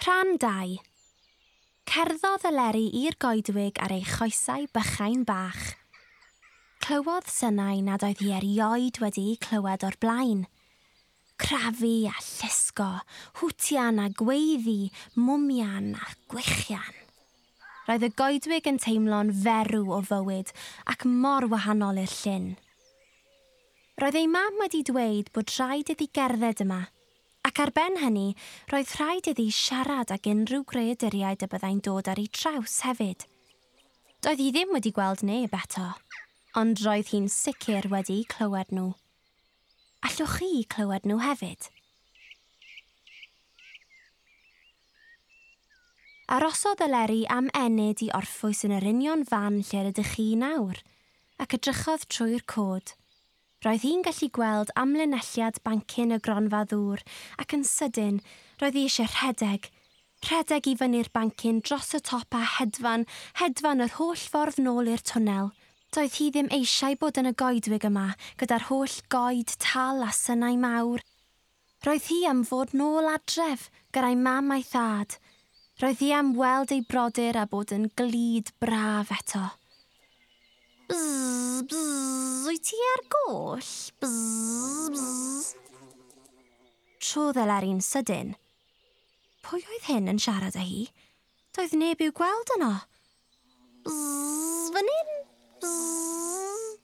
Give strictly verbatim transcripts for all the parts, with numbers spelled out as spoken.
Rhan dau. Cerddodd Eleri i'r goedwig ar ei choesau bychain bach. Clywodd synau nad oedd hi erioed wedi'u clywed o'r blaen. Crafu a llusgo, hwtian a gweiddi, mwmian a gwichian. Roedd y goedwig yn teimlo'n ferw o fywyd ac mor wahanol i'r llyn. Roedd ei mam wedi dweud bod rhaid iddi gerdded yma, ac ar ben hynny, roedd rhaid iddi siarad ag unrhyw greaduriaid y byddai'n dod ar ei traws hefyd. Doedd hi ddim wedi gweld neb eto, ond roedd hi'n sicr wedi clywed nhw. Allwch chi clywed nhw hefyd? Arosodd Eleri am ennyd i orffwys yn yr union fan lle rydych chi nawr, ac edrychodd trwy'r cod. Roedd hi'n gallu gweld amlinelliad bancyn y gronfa ddŵr ac yn sydyn roedd hi eisiau rhedeg. Rhedeg i fyny'r bancyn dros y top a hedfan, hedfan yr holl ffordd nôl i'r twnnel. Doedd hi ddim eisiau bod yn y goedwig yma gyda'r holl goed tal a synau mawr. Roedd hi am fod nôl adref gyda'i mam a'i thad. Roedd hi am weld ei brodyr a bod yn glyd braf eto. Bzz, bzz, wyt ti ar goll? Bzz, bzz. Trodd Eleri'n sydyn. Pwy oedd hyn yn siarad â hi? Doedd neb i'w gweld yno. Bzz, fan hyn? Bzz.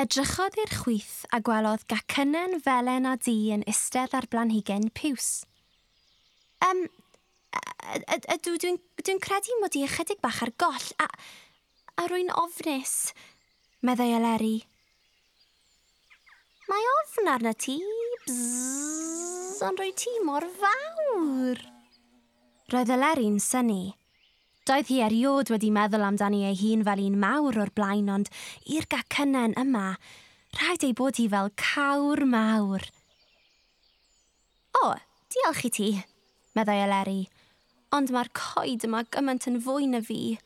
Edrychodd i'r chwith a gwelodd gacynen felen a du yn istedd ar blanhigen piws. Um, ydw, dwi'n dwi credu mod i ychydig bach ar goll a... a rwy'n ofnus, meddai Eleri. Mae ofn arna ti, bzzz, ond rwy ti mor fawr. Roedd Eleri'n synnu. Doedd hi erioed wedi meddwl amdani ei hun fel un mawr o'r blaen, ond i'r gacynen yma, rhaid ei bod hi fel cawr mawr. O, diolch i ti, meddai Eleri, ond mae'r coed yma gymaint yn fwy na fi.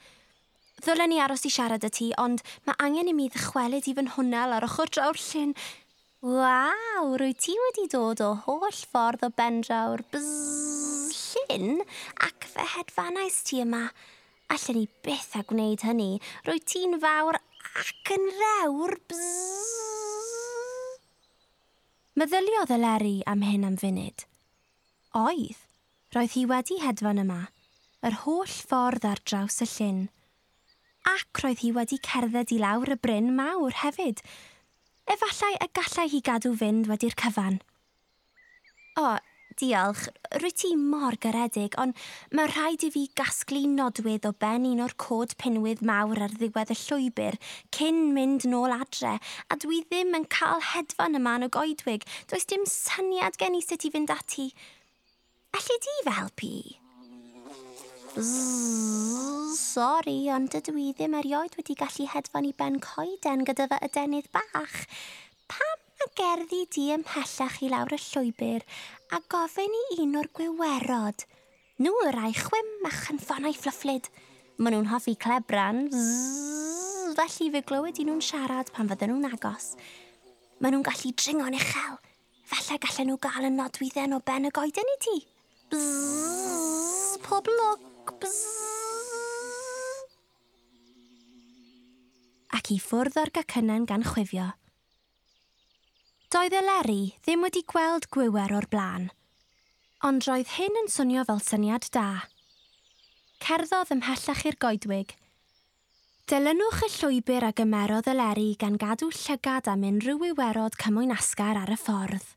Ddylen ni aros i siarad â ti, ond mae angen i mi ddychwelyd i fy nhwnnel ar ochr draw'r llyn. Waw, rwy ti wedi dod o holl ffordd o bendraw'r bzzz llyn ac fe hedfanais ti yma. Allen ni byth a gwneud hynny. Rwy ti'n fawr ac yn ddewr bzzz. Meddyliodd Eleri am hyn am funud. Oedd, roedd hi wedi hedfan yma, yr holl ffordd ar draws y llyn. Ac roedd hi wedi cerdded i lawr y bryn mawr hefyd. Efallai y gallai hi gadw fynd wedi'r cyfan. O, diolch, rwy ti mor garedig, ond mae rhaid i fi gasglu nodwydd o ben un o'r cod pinwydd mawr ar ddiwedd y llwybr cyn mynd nôl adre, a dwi ddim yn cael hedfan yma yn y goedwig. Does dim syniad gen i sut i fynd ati. Alli di fy helpu? Bzzz, sori, ond dydw i ddim erioed wedi gallu hedfan i ben coeden gyda fy adenydd bach. Pam na gerddi di ymhellach i lawr y llwybr a gofyn i un o'r gwiwerod? Nhw y rai chwim a chynffonau fflyfflyd. Maen nhw'n hoffi clebran, zzz, felly fe glywed i nhw'n siarad pan fydden nhw'n agos. Maen nhw'n gallu dringo'n uchel. Falle gallen nhw gael y nodwydden o ben y goeden i ti. Bzzz, pob lwc. Bzzz. Ac i ffwrdd o'r gacynen gan chwifio. Doedd Eleri ddim wedi gweld gwiwer o'r blaen, ond roedd hyn yn swnio fel syniad da. Cerddodd ymhellach i'r goedwig. Dilynwch y llwybr a gymerodd Eleri gan gadw llygad am unrhyw wiwerod cymwynasgar ar y ffordd.